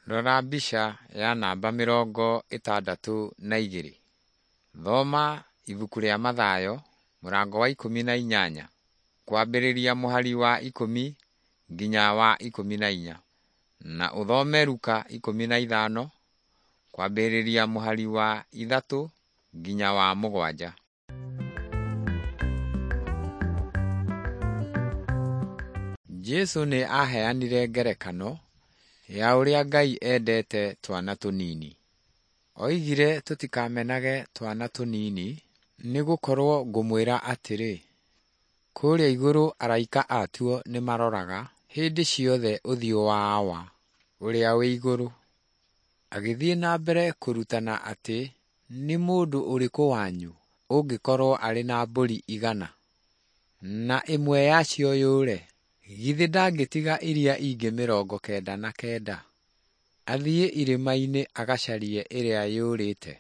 Rora mbica ya namba 62. Thoma ibuku rĩa Mathayo mũrango wa 18 kwambĩrĩria mũhari wa 10 nginya wa 14, na ũthome Luka 15 kwambĩrĩria mũhari wa 3 nginya wa 7. Jesu nĩ aaheanire ngerekano ya ũrĩa Ngai endete twana tũnini. Oigire tũtikamenage twana tũnini nĩ gũkorwo ngũmwĩra atĩrĩ, kũrĩa igũrũ araika atuo nĩmaroraga hĩndĩ ciothe ũthiũ wa Awa ũrĩa wĩ igũrũ. Agĩthiĩ na mbere kũrutana atĩ nĩ mũndũ ũrĩkũ wanyu ũngĩkorwo arĩ na mbũri 100 na ĩmwe yacio yũre, githĩ ndangĩtiga iria ingĩ 99 athiĩ irĩma-inĩ agacarie ĩrĩa yũrĩte?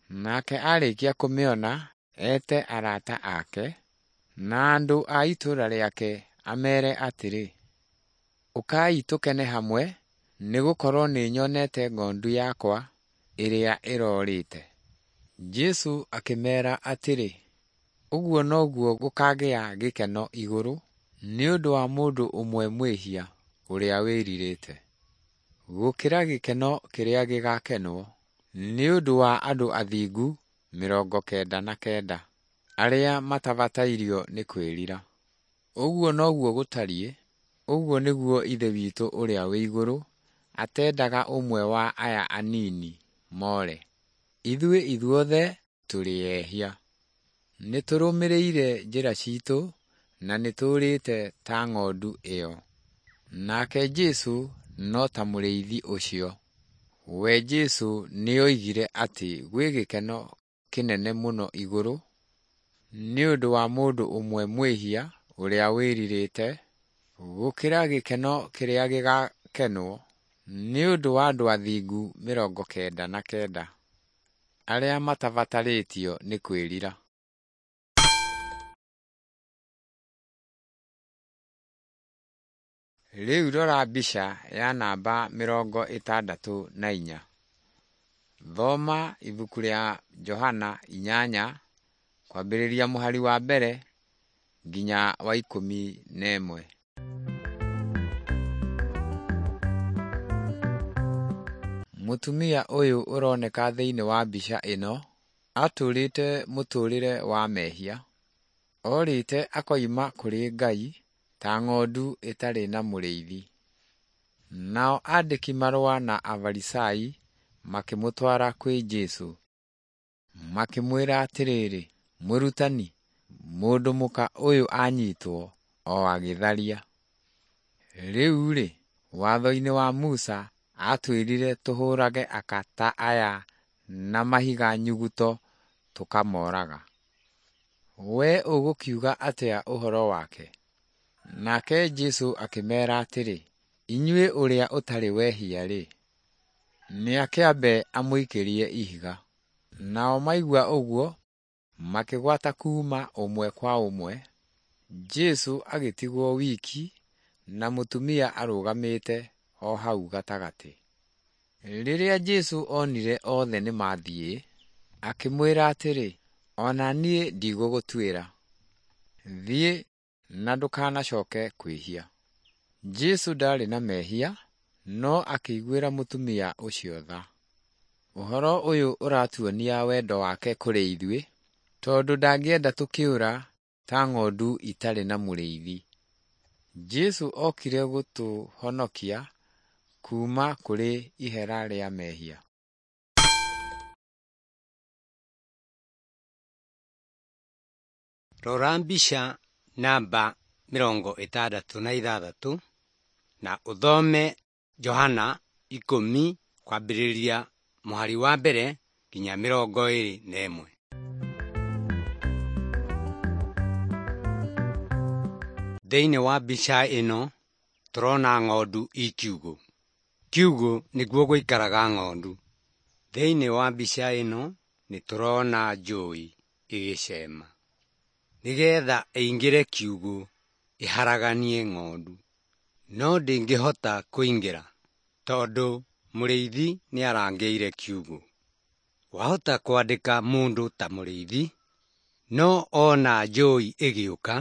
Nake arĩkia kũmĩona ete arata ake na andũ a itũũra rĩake amere atĩrĩ, ũkai tũkene hamwe nĩ gũkorwo nĩnyonete ng'ondu yakwa ĩrĩa ĩrorĩte. Jesu akĩmera atĩrĩ, ũguo noguo gũkagĩa gĩkeno igũrũ nĩ ũndũ wa mũndũ ũmwe mwĩhia ũrĩa wĩrirĩte, gũkĩra gĩkeno kĩrĩa gĩgakenwo nĩ ũndũ wa andũ athingu 99 arĩa matabatairio nĩ kwĩrira. Ũguo noguo gũtariĩ, ũguo nĩguo Ithe witũ ũrĩa wĩ igũrũ atendaga ũmwe wa aya anini more. Ithuĩ ithuothe tũrĩ ehia. Nĩ tũrũmĩrĩire njĩra citũ na nĩ tũũrĩte ta ng'ondu ĩyo. Nake Jesu no ta mũrĩithi ũcio. We Jesu nĩoigire atĩ gwĩ gĩkeno kĩnene mũno igũrũ nĩ ũndũ wa mũndũ ũmwe mwĩhia ũrĩa wĩrirĩte, gũkĩra gĩkeno kĩrĩa gĩgakenwo nĩ ũndũ wa andũ athingu 99 arĩa matabatarĩtio nĩ kwĩrira. Rĩu rora mbica ya namba 64. Thoma ibuku rĩa Johana 8 kwambĩrĩria mũhari wa 1 nginya wa 11. Mũtumia ũyũ ũroneka thĩinĩ wa mbica ĩno atũrĩte mũtũrĩre wa mehia. Orĩte akoima kũrĩ Ngai ta ng'ondu ĩtarĩ na mũrĩithi. Nao andĩki marũa na Afarisai makĩmũtwara kwĩ Jesu. Makĩmwĩra atĩrĩrĩ, mũrutani, mũndũ mũka ũyũ anyitwo o agĩtharia. Rĩu-rĩ, watho-inĩ wa Musa atwĩrire tũhũrage aka ta aya na mahiga nyuguto tũkamoraga. We ũgũkiuga atĩa ũhoro wake? Nake Jesu akĩmera atĩrĩ, inyuĩ ũrĩa ũtarĩ wehia-rĩ, nĩakĩambe amũikĩrie ihiga. Nao maigua ũguo makĩgwata kuuma ũmwe kwa ũmwe. Jesu agĩtigwo wiki na mũtumia arũgamĩte o hau gatagatĩ. Rĩrĩa Jesu onire othe nĩmathiĩ, akĩmwĩra atĩrĩ, ona niĩ ndigũgũtuĩra. Thiĩ na ndũkanacoke kwĩhia. Jesu ndarĩ na mehia, no akĩiguĩra mũtumia ũcio tha. Ũhoro ũyũ ũratuonia wendo wake kũrĩ ithuĩ, tondũ ndangĩenda tũkĩũra ta ng'ondu itarĩ na mũrĩithi. Jesu okire gũtũhonokia kuuma kũrĩ ihera rĩa mehia. Rora mbica namba 66 na ũthome Johana 10 kwambĩrĩria mũhari wa 1 nginya 21. Thĩinĩ wa mbica ĩno tũrona ng'ondu i kiugũ. Kiugũ nĩkuo gũikaraga ng'ondu. Thĩinĩ wa mbica ĩno nĩ tũrona njũi ĩgĩcema nĩgetha ĩingĩre kiugũ ĩharaganie ng'ondu, no ndĩngĩhota kũingĩra tondũ Mũrĩithi nĩarangĩire kiugũ. Wahota kwandĩka mũndũ ta mũrĩithi, no ona njũi ĩgĩũka,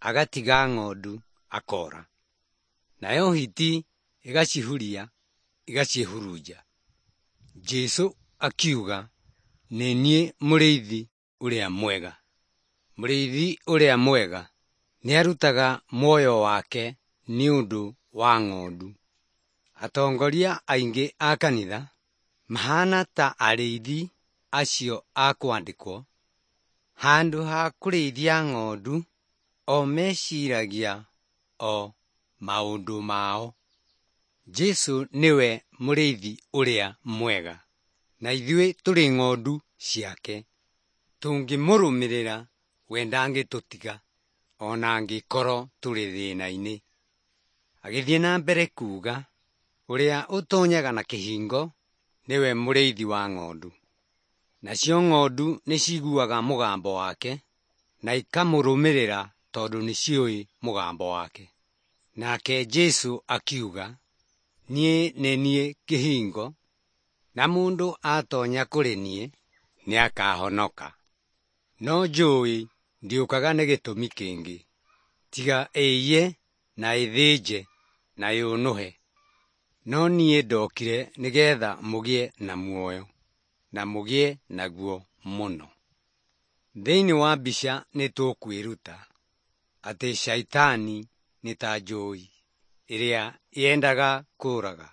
agatiga ng'ondu akora. Nayo hiti ĩgacihuria ĩgacihurunja. Jesũ akiuga, nĩ niĩ mũrĩithi ũrĩa mwega. Mũrĩithi ũrĩa mwega nĩarutaga muoyo wake nĩ ũndũ wa ng'ondu. Atongoria aingĩ a kanitha mahana ta arĩithi acio a kwandĩkwo. Handũ ha kũrĩithia ng'ondu, o meciragia o maũndũ mao. Jesũ nĩwe mũrĩithi ũrĩa mwega, na ithuĩ tũrĩ ng'ondu ciake. Tũngĩmũrũmĩrĩra we ndangĩtũtiga ona angĩkorwo tũrĩ thĩna-inĩ. Agĩthiĩ na mbere kuuga, ũrĩa ũtonyaga na kĩhingo nĩwe mũrĩithi wa ng'ondu. Nacio ng'ondu nĩciguaga mũgambo wake na ikamũrũmĩrĩra tondũ nĩciũĩ mũgambo wake. Nake Jesũ akiuga, niĩ nĩ niĩ kĩhingo, na mũndũ atonya kũrĩ niĩ nĩakahonoka. No njũi ndĩũkaga nĩ gĩtũmi kĩngĩ tiga ĩiye na ĩthĩnje na yũnũhe. No niĩ ndokire nĩgetha mũgĩe na muoyo, na mũgĩe naguo mũno. Thĩinĩ wa mbica nĩtũkwĩruta atĩ caitani nĩ ta njũi ĩrĩa yendaga kũũraga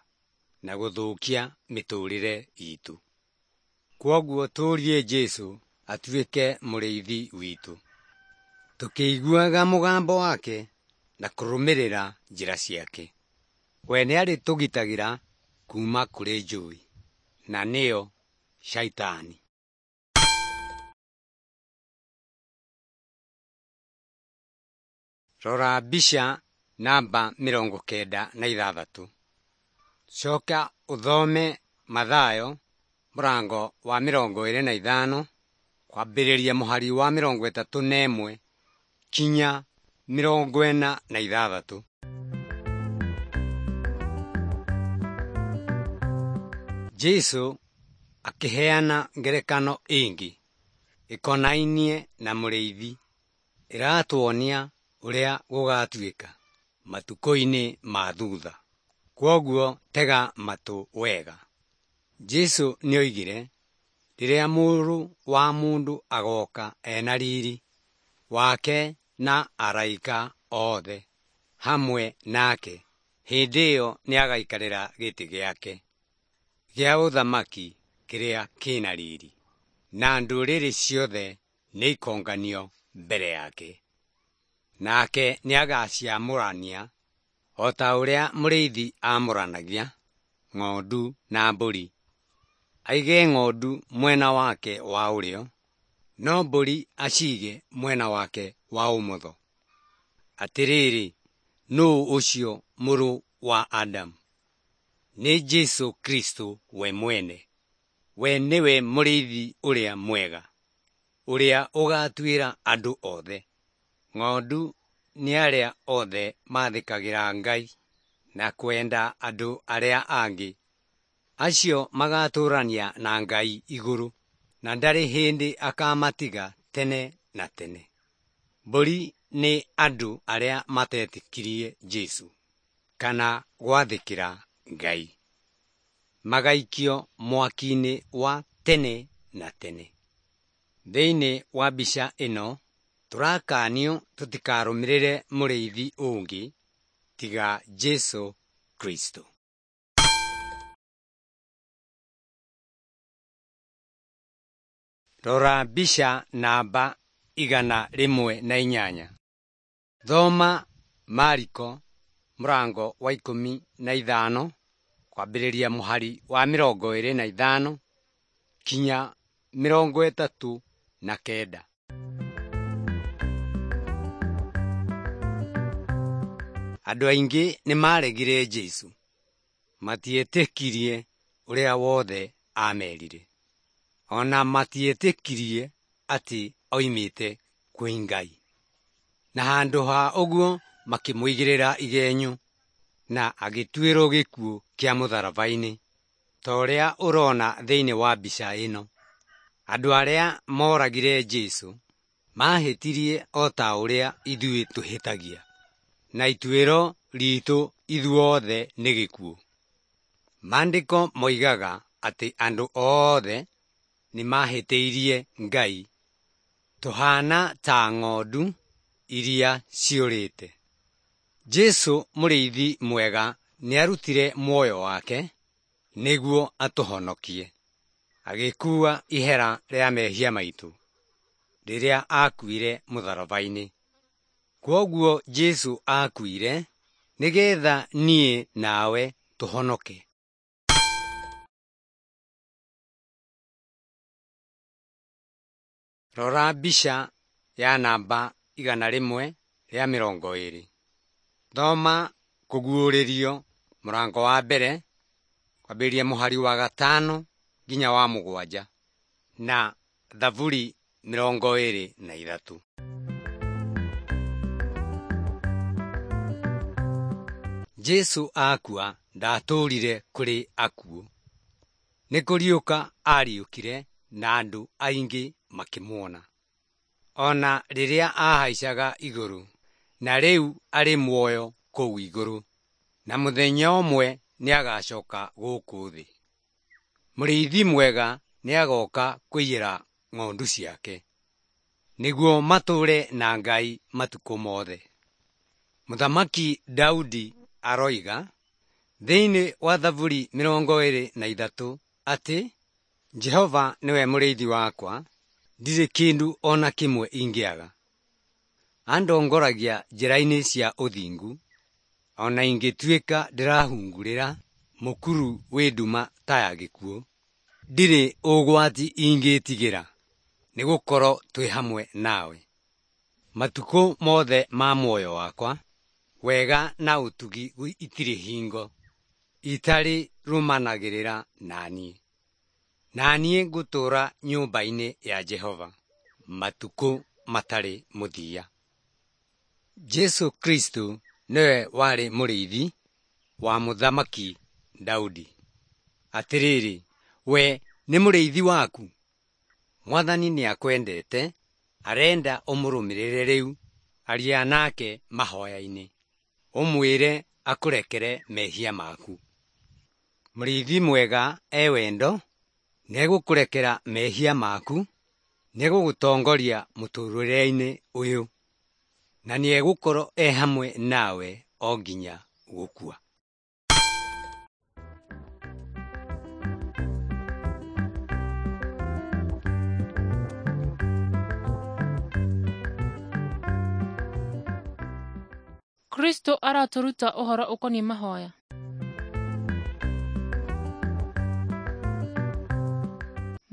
na gũthũkia mĩtũrĩre itũ. Kwoguo tũrie Jesũ atuĩke mũrĩithi witũ, tũkĩiguaga mũgambo wake na kũrũmĩrĩra njĩra ciake. We nĩarĩtũgitagĩra kuma kũrĩ njũi, na nĩyo caitani. Rora mbica namba 96. Coka ũthome Mathayo mũrango wa 25 kwambĩrĩria mũhari wa 31 kinya 46. Jesũ akĩheana ngerekano ĩngĩ ĩkonainie na mũrĩithi ĩratuonia ũrĩa gũgatuĩka matukũ-inĩ ma thutha. Kwoguo tega matũ wega. Jesũ nĩoigire, rĩrĩa mũrũ wa mũndũ agoka ena riri wake na araika othe hamwe nake, hĩndĩ ĩyo nĩagaikarĩra gĩtĩ gĩake gĩa ũthamaki kĩrĩa kĩna riri, na ndũrĩrĩ ciothe nĩikonganio mbere yake. Nake nĩagaciamũrania o ta ũrĩa mũrĩithi amũranagia ng'ondu na mbũri. Aige ng'ondu mwena wake wa ũrĩo, no mbũri aciige mwena wake wa ũmotho. Atĩrĩrĩ, nũũ ũcio mũrũ wa Adamu? Nĩ Jesũ Kristo we mwene. We nĩwe mũrĩithi ũrĩa mwega, ũrĩa ũgatuĩra andũ othe. Ng'ondu nĩ arĩa othe mathĩkagĩra Ngai na kwenda andũ arĩa angĩ. Acio magatũũrania na Ngai igũrũ, na ndarĩ hĩndĩ akamatiga tene na tene. Mbũri nĩ andũ arĩa matetĩkirie Jesũ kana gwathĩkĩra Ngai, magaikio mwaki-inĩ wa tene na tene. Thĩinĩ wa mbica ĩno tũrakanio tũtikarũmĩrĩre mũrĩithi ũngĩ tiga Jesũ Kristo. Rora mbica namba 108. Thoma Mariko mũrango wa 15 kwambĩrĩria mũhari wa 25 kinya 39. Andũ aingĩ nĩmaregire Jesũ, matietĩkirie ũrĩa wothe amerire. Ona matietĩkirie atĩ oimĩte kwĩ Ngai. Na handũ ha ũguo makĩmũigĩrĩra igenyo na agĩtuĩrwo gĩkuũ kĩa mũtharaba-inĩ. Ta ũrĩa ũrona thĩinĩ wa mbica ĩno. Andũ arĩa moragire Jesũ mahĩtirie o ta ũrĩa ithuĩ tũhĩtagia, na ituĩro ritũ ithuothe nĩ gĩkuũ. Maandĩko moigaga atĩ andũ othe nĩmahĩtĩirie Ngai. Tũhaana ta ng'ondu iria ciũrĩte. Jesũ mũrĩithi mwega nĩarutire muoyo wake nĩguo atũhonokie. Agĩkua ihera rĩa mehia maitũ rĩrĩa akuire mũtharaba-inĩ. Kwoguo Jesũ akuire nĩgetha niĩ nawe tũhonoke. Rora mbica ya namba 120. Thoma Kũguũrĩrio mũrango wa mbere kwambĩrĩria mũhari wa 5 nginya wa 7 na Thaburi 23. Jesũ akua ndatũũrire kũrĩ akuũ. Nĩ kũriũka ariũkire na andũ aingĩ makĩmuona. Ona rĩrĩa ahaicaga igũrũ, na rĩu arĩ muoyo kũu igũrũ, na mũthenya ũmwe nĩagacoka gũkũ thĩ. Mũrĩithi mwega nĩagoka kũiyĩra ng'ondu ciake, nĩguo matũũre na Ngai matukũ mothe. Mũthamaki Daudi aroiga thĩinĩ wa Thaburi 23 atĩ Jehova nĩwe mũrĩithi wakwa, ndirĩ kĩndũ o na kĩmwe ingĩaga. Andongoragia njĩra-inĩ cia ũthingu, o na ingĩtuĩka ndĩrahungurĩra mũkuru wĩ nduma ta ya gĩkuũ, ndirĩ ũgwati ingĩtigĩra, nĩgũkorwo twĩ hamwe nawe. Matukũ mothe ma muoyo wakwa, wega na ũtugi itirĩ hingo itarĩ rũmanagĩrĩra na niĩ. Na niĩ ngũtũũra nyũmba-inĩ ya Jehova matukũ matarĩ mũthia. Jesũ Kristo nĩwe warĩ mũrĩithi wa mũthamaki Daudi. Atĩrĩrĩ, we nĩ mũrĩithi waku? Mwathani nĩakwendete, arenda ũmũrũmĩrĩre rĩu. Aria nake mahoya-inĩ, ũmwĩre akũrekere mehia maku. Mũrĩithi mwega e wendo, nĩegũkũrekera mehia maku, nĩegũgũtongoria mũtũũrĩre-inĩ ũyũ, na nĩegũkorwo e hamwe nawe o nginya gũkua. Kristo aratũruta ũhoro ũkoniĩ mahoya.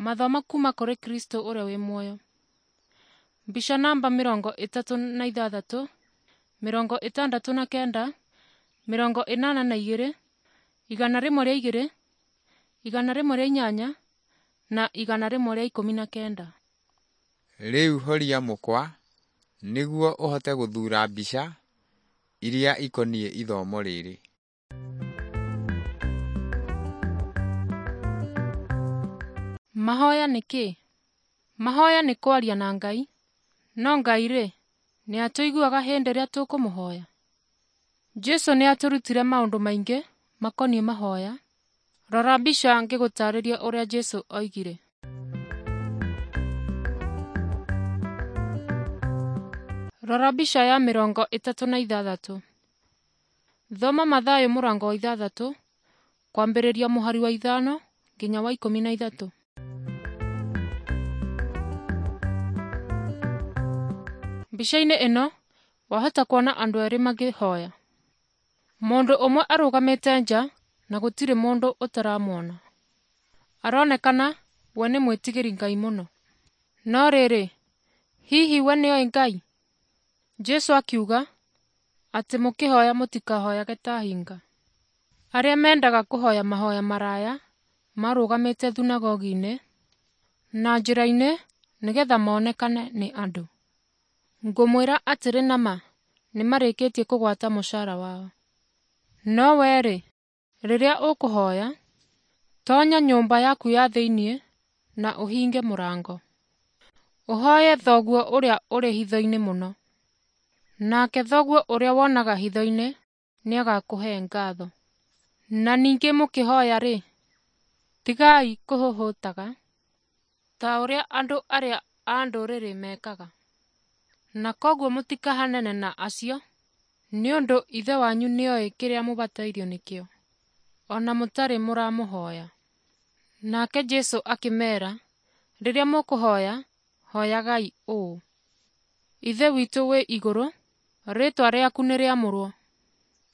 Mathomo kuma kũrĩ Kristo ũrĩa wĩ muoyo. Mbica namba 36, 69, 82, 102, 108 na 119. Rĩu horia mũkwa nĩguo ũhote gũthuura mbica iria ikoniĩ ithomo rĩrĩ. Mahoya nĩ kĩĩ? Mahoya nĩ kwaria na Ngai. No Ngai-rĩ, nĩatũiguaga hĩndĩ ĩrĩa tũkũmũhoya? Jesũ nĩatũrutire maũndũ maingĩ makoniĩ mahoya. Rora mbica ngĩgũtarĩria ũrĩa Jesũ oigire. Rora mbica ya 36. Thoma Mathayo mũrango wa 6 kwambĩrĩria mũhari wa 5 nginya wa 13. Mbica-inĩ ĩno wahota kuona andũ erĩ makĩhoya. Mũndũ ũmwe arũgamĩte nja na gũtirĩ mũndũ ũtaramuona. Aronekana we nĩ mwĩtigĩri Ngai mũno. No rĩrĩ, hihi we nĩoĩ Ngai? Jesũ akiuga atĩ mũkĩhoya mũtikahoyage ta hinga. Arĩa mendaga kũhoya mahoya maraya marũgamĩte thunagogi-inĩ na njĩra-inĩ nĩgetha monekane nĩ andũ. Ngũmwĩra atĩrĩ na ma, nĩmarĩkĩtie kũgwata mũcara wao. No wee-rĩ, rĩrĩa ũkũhoya, Tonya nyũmba yaku ya thĩinĩ na ũhinge mũrango. Ũhoye Thoguo ũrĩa ũrĩ hitho-inĩ mũno. Nake Thoguo ũrĩa wonaga hitho-inĩ nĩagakũhe ngatho. Na ningĩ mũkĩhoya-rĩ, tigai kũhũhũtaga, ta ũrĩa andũ arĩa a ndũrĩrĩ mekaga. Na kwoguo mũtikahanane na acio, nĩ ũndũ Ithe wanyu nĩoĩ kĩrĩa mũbatairio nĩkĩo, o na mũtarĩ mũramũhoya. Nake Jesũ akĩmeera, rĩrĩa mũkũhoya, hoyagai ũũ: Ithe witũ wĩ igũrũ, rĩĩtwa rĩaku nĩrĩamũrwo.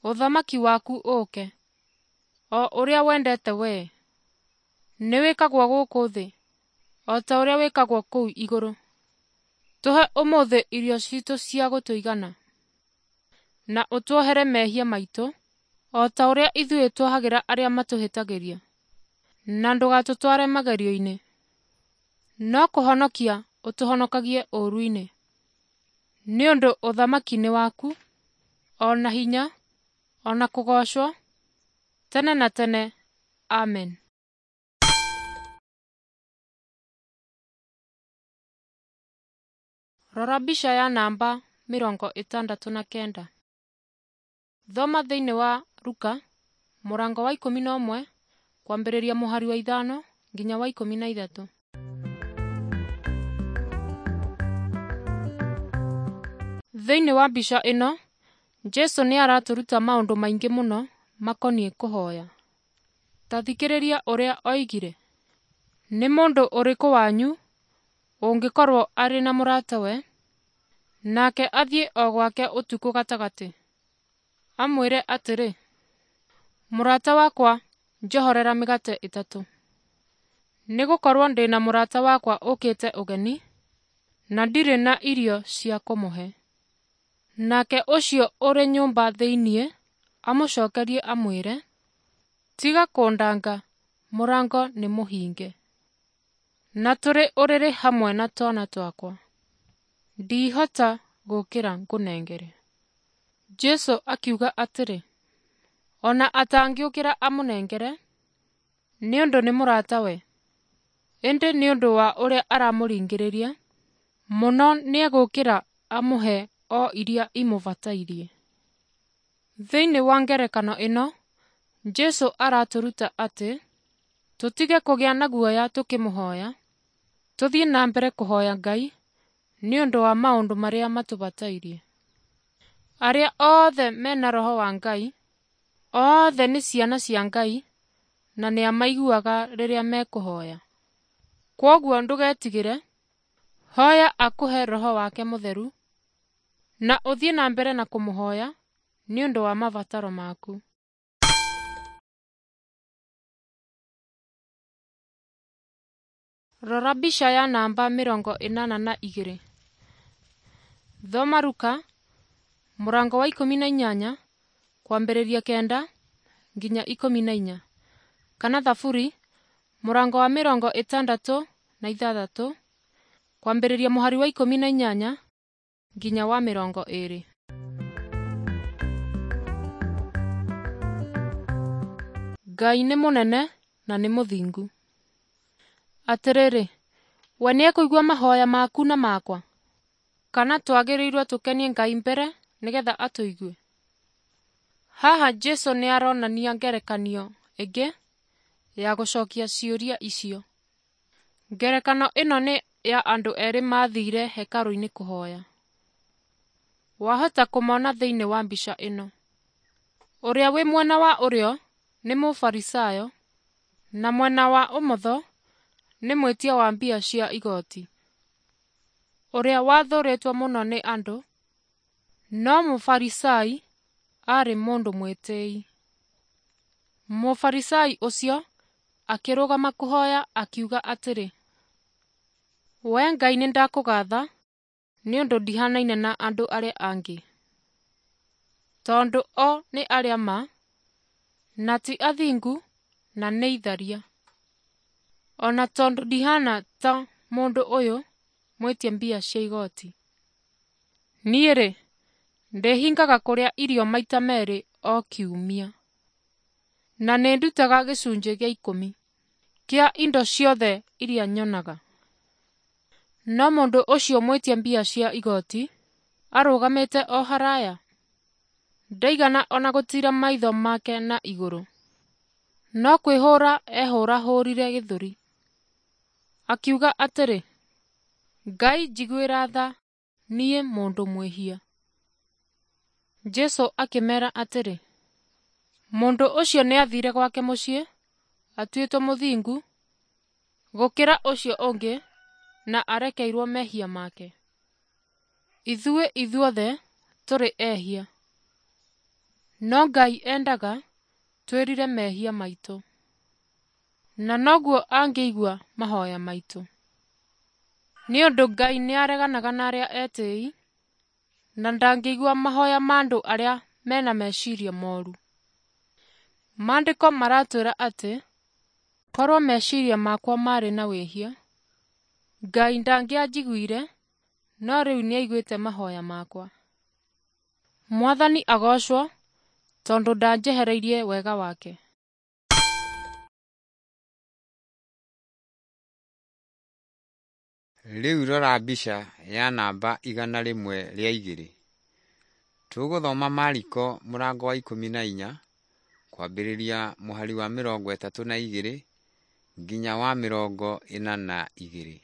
Ũthamaki waku ũũke. O ũrĩa wendete wee, nĩwĩkagwo gũkũ thĩ, o ta ũrĩa wĩkagwo kũu igũrũ. Tũhe ũmũthĩ irio ciitũ cia gũtũigana. Na ũtuohere mehia maitũ, o ta ũrĩa ithuĩ tuohagĩra arĩa matũhĩtagĩria. Na ndũgatũtware magerio-inĩ, no kũhonokia ũtũhonokagie ũũru-inĩ. Nĩ ũndũ ũthamaki nĩ waku, o na hinya, o na kũgoocwo, tene na tene. Amen. Rora mbica ya namba 69. Thoma thĩinĩ wa Luka mũrango wa 11 kwambĩrĩria mũhari wa 5 nginya wa 13. Thĩinĩ wa mbica ĩno, Jesũ nĩ aratũruta maũndũ maingĩ mũno makoniĩ kũhoya. Ta thikĩrĩria ũrĩa oigire. Nĩ mũndũ ũrĩkũ wanyu ũngĩkorwo arĩ na mũratawe, nake athiĩ o gwake ũtukũ gatagatĩ, amwĩre atĩrĩ, mũrata wakwa njohorera mĩgate ĩtatũ, nĩgũkorwo ndĩ na mũrata wakwa ũkĩte ũgeni, na ndirĩ na irio cia kũmũhe. Nake ũcio ũrĩ nyũmba thĩinĩ amũcokerie amwĩre, tiga kũndanga, mũrango nĩ mũhinge, na tũrĩ ũrĩrĩ hamwe na twana twakwa. Ndihota gũũkĩra ngũnengere. Jesũ akiuga atĩrĩ, ona atangĩũkĩra amũnengere, nĩ ũndũ nĩ mũratawe, ĩndĩ nĩ ũndũ wa ũrĩa aramũringĩrĩria mũno nĩegũũkĩra amũhe o iria imũbatairie. Thĩinĩ wa ngerekano ĩno, Jesũ aratũruta atĩ tũtige kũgĩa na guoya tũkĩmũhoya, tũthiĩ na mbere kũhoya Ngai nĩ ũndũ wa maũndũ marĩa matũbatairie. Arĩa othe mena Roho wa Ngai, othe nĩ ciana cia Ngai na nĩamaiguaga rĩrĩa mekũhoya. Kwoguo ndũgetigĩre, hoya akũhe Roho wake Mũtheru, na ũthiĩ na mbere na kũmũhoya nĩ ũndũ wa mabataro maku. Rora mbica ya namba 82. Thoma Luka mũrango wa 18 kwambĩrĩria 9 nginya 14, kana Thaburi mũrango wa 66 kwambĩrĩria mũhari wa 18 nginya wa 20. Ngai nĩ mũnene na nĩ mũthingu. Atĩrĩrĩ, we nĩekũigua mahoya maku na makwa? Kana twagĩrĩirwo tũkenie Ngai mbere nĩgetha atũigue? Haha Jesũ nĩaronania ngerekanio ĩngĩ ya gũcokia ciũria icio. Ngerekano ĩno nĩ ya andũ erĩ maathire hekarũ-inĩ kũhoya. Wahota kũmona thĩinĩ wa mbica ĩno. Ũrĩa wĩ mwena wa ũrĩo nĩ Mũfarisayo, na mwena wa ũmotho nĩ mwĩtia wa mbia cia igoti, ũrĩa wathũrĩtwo mũno nĩ andũ, no Mũfarisai aarĩ mũndũ mwĩtĩi. Mũfarisai ũcio akĩrũgama kũhoya akiuga atĩrĩ, Wee Ngai nĩndakũgatha nĩ ũndũ ndihanaine na andũ arĩa angĩ, tondũ o nĩ arĩa ma, na ti athingu na nĩ itharia. Ona tondũ ndihana ta mũndũ ũyũ mwĩtia mbia cia igoti. Niĩ-rĩ, ndĩhingaga kũrĩa irio maita merĩ o kiumia, na nĩndutaga gĩcunjĩ gĩa ikũmi. Kĩa indo ciothe iria nyonaga. No mũndũ ũcio mwĩtia mbia cia igoti arũgamĩte o haraya. Ndaigana ona gũtiira maitho make na igũrũ, no kwĩhũũra ehũũrahũũrire gĩthũri, akiuga atĩrĩ, Ngai njiguĩra tha, niĩ mũndũ mwĩhia. Jesũ akĩmeera atĩrĩ, mũndũ ũcio nĩathiire gwake mũciĩ atuĩtwo mũthingu gũkĩra ũcio ũngĩ na arekeirwo mehia make. Ithuĩ ithuothe tũrĩ ehia, no Ngai endaga twĩrire mehia maitũ, na noguo angĩigua mahoya maitũ. Nĩ ũndũ Ngai nĩareganaga na arĩa etĩĩi, na ndangĩigua mahoya ma andũ arĩa mena meciria moru. Maandĩko maratwĩra atĩ korwo meciria makwa marĩ na wĩhia, Ngai ndangĩanjiguire, no rĩu nĩaiguĩte mahoya makwa. Mwathani agoocwo tondũ ndanjehereirie wega wake. Rĩu rora mbica ya namba 102. Tũgũthoma Mariko mũrango wa 14 kwambĩrĩria mũhari wa 32 nginya wa 42.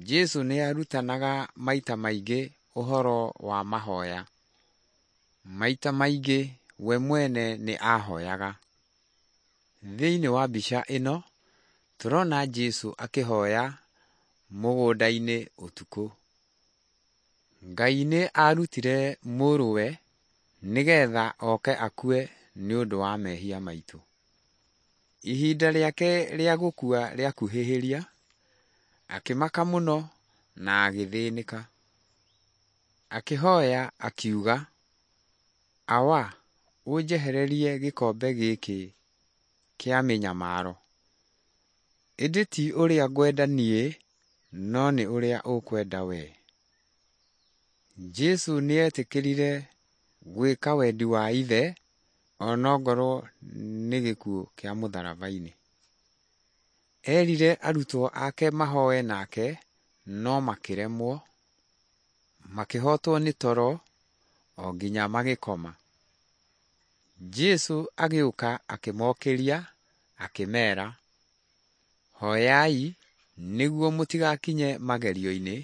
Jesũ nĩ arutanaga maita maingĩ ũhoro wa mahoya. Maita maingĩ we mwene nĩ aahoyaga. Thĩinĩ wa mbica ĩno tũrona Jesũ akĩhoya mũgũnda-inĩ ũtukũ. Ngai nĩ aarutire mũrũwe nĩgetha oke akue nĩ ũndũ wa mehia maitũ. Ihinda rĩake rĩa gũkua rĩakuhĩhĩria, akĩmaka mũno na agĩthĩnĩka. Akĩhoya akiuga, Awa, ũnjehererie gĩkombe gĩkĩ kĩa mĩnyamaro. Ĩndĩ ti ũrĩa ngwenda niĩ, no nĩ ũrĩa ũkwenda wee. Jesũ nĩetĩkĩrire gwĩka wendi wa Ithe onongorwo nĩ gĩkuũ kĩa mũtharaba-inĩ. Erire arutwo ake mahoe nake no makĩremwo, makĩhotwo nĩ toro o nginya magĩkoma. Jesũ agĩũka akĩmokĩria akĩmeera, hoyai nĩguo mũtigakinye magerio-inĩ.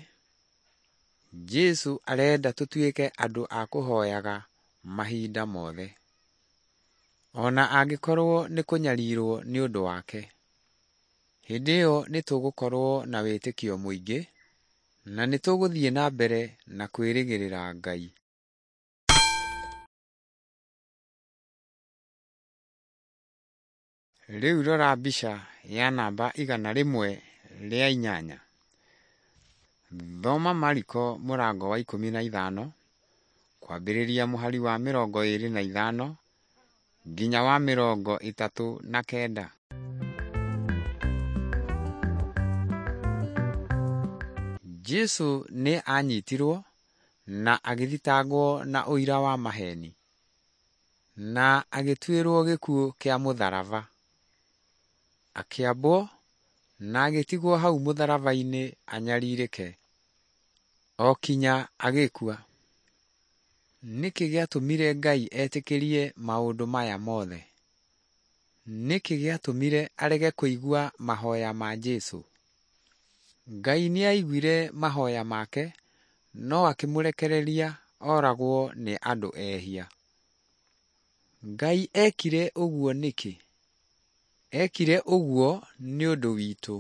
Jesũ arenda tũtuĩke andũ a kũhoyaga mahinda mothe, ona angĩkorwo nĩ kũnyarirwo nĩ ũndũ wake. Hĩndĩ ĩyo nĩ tũgũkorwo na wĩtĩkio mũingĩ na nĩ tũgũthiĩ na mbere na kwĩrĩgĩrĩra Ngai. Rĩu rora mbica ya namba 108. Thoma Mariko mũrango wa 15 kwambĩrĩria mũhari wa 25 nginya wa 39. Jesũ nĩ aanyitirwo na agĩthitangwo na ũira wa maheeni, na agĩtuĩrwo gĩkuũ kĩa mũtharaba. Akĩambwo na agĩtigwo hau mũtharaba-inĩ anyarirĩke, o kinya agĩkua. Nĩkĩ gĩatũmire Ngai etĩkĩrie maũndũ maya mothe? Nĩkĩ gĩatũmire arege kũigua mahoya ma Jesũ? Ngai nĩaiguire mahoya make no akĩmũrekereria oragwo nĩ andũ ehia. Ngai ekire ũguo nĩkĩ? Ekire ũguo nĩ ũndũ witũ.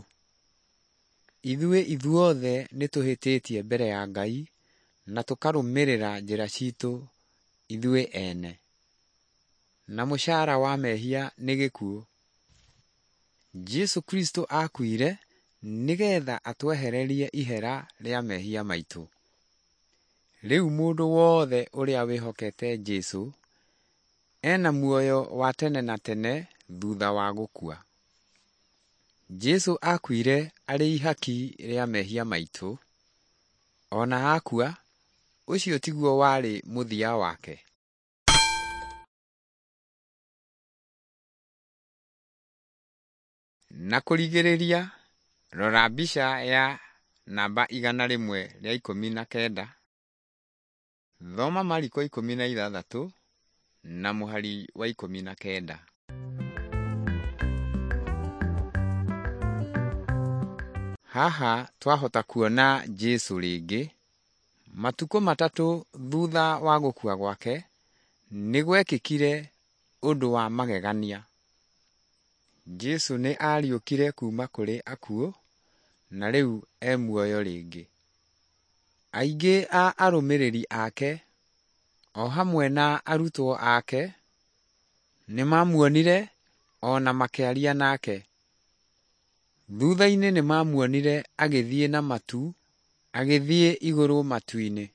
Ithuĩ ithuothe nĩ tũhĩtĩtie mbere ya Ngai na tũkarũmĩrĩra njĩra citũ ithuĩ ene. Na mũcara wa mehia nĩ gĩkuũ. Jesũ Kristo akuire nĩgetha atwehererie ihera rĩa mehia maitũ. Rĩu mũndũ wothe ũrĩa wĩhokete Jesũ ena muoyo wa tene na tene thutha wa gũkua. Jesũ akuire arĩ ihaki rĩa mehia maitũ. Ona akua, ũcio tiguo warĩ mũthia wake. Na kũrigĩrĩria, rora mbica ya namba 119. Thoma Mariko 16 na mũhari wa 19. Haha twahota kuona Jesũ rĩngĩ. Matukũ 3 thutha wa gũkua gwake, nĩ gwekĩkire ũndũ wa magegania. Jesũ nĩ ariũkire kuuma kũrĩ akuũ na rĩu e muoyo rĩngĩ. Aingĩ a arũmĩrĩri ake o hamwe na arutwo ake nĩ mamuonire o na makĩaria nake. Thutha-inĩ nĩ mamuonire agĩthiĩ na matu, agĩthiĩ igũrũ matu-inĩ.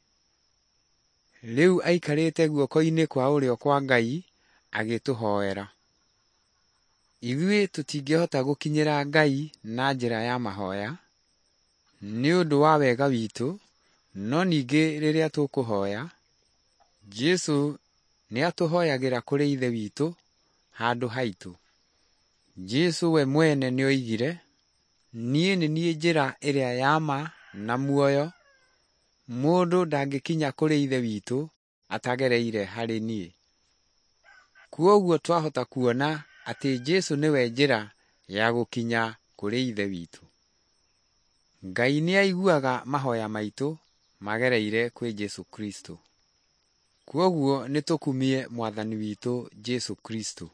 Rĩu aikarĩte guoko-inĩ kwa ũrĩo kwa Ngai agĩtũhoera. Ithuĩ tũtingĩhota gũkinyĩra Ngai na njĩra ya mahoya nĩ ũndũ wa wega witũ, no ningĩ rĩrĩa tũkũhoya, Jesũ nĩatũhoyagĩra kũrĩ Ithe witũ handũ haitũ. Jesũ we mwene nĩoigire, niĩ nĩ niĩ njĩra ĩrĩa ya ma na muoyo, mũndũ ndangĩkinya kũrĩ Ithe witũ atagereire harĩ niĩ. Kwoguo twahota kuona atĩ Jesũ nĩwe njĩra ya gũkinya kũrĩ Ithe witũ. Ngai nĩaiguaga mahoya maitũ magereire kwĩ Jesũ Kristo. Kwoguo nĩtũkumie Mwathani witũ Jesũ Kristo.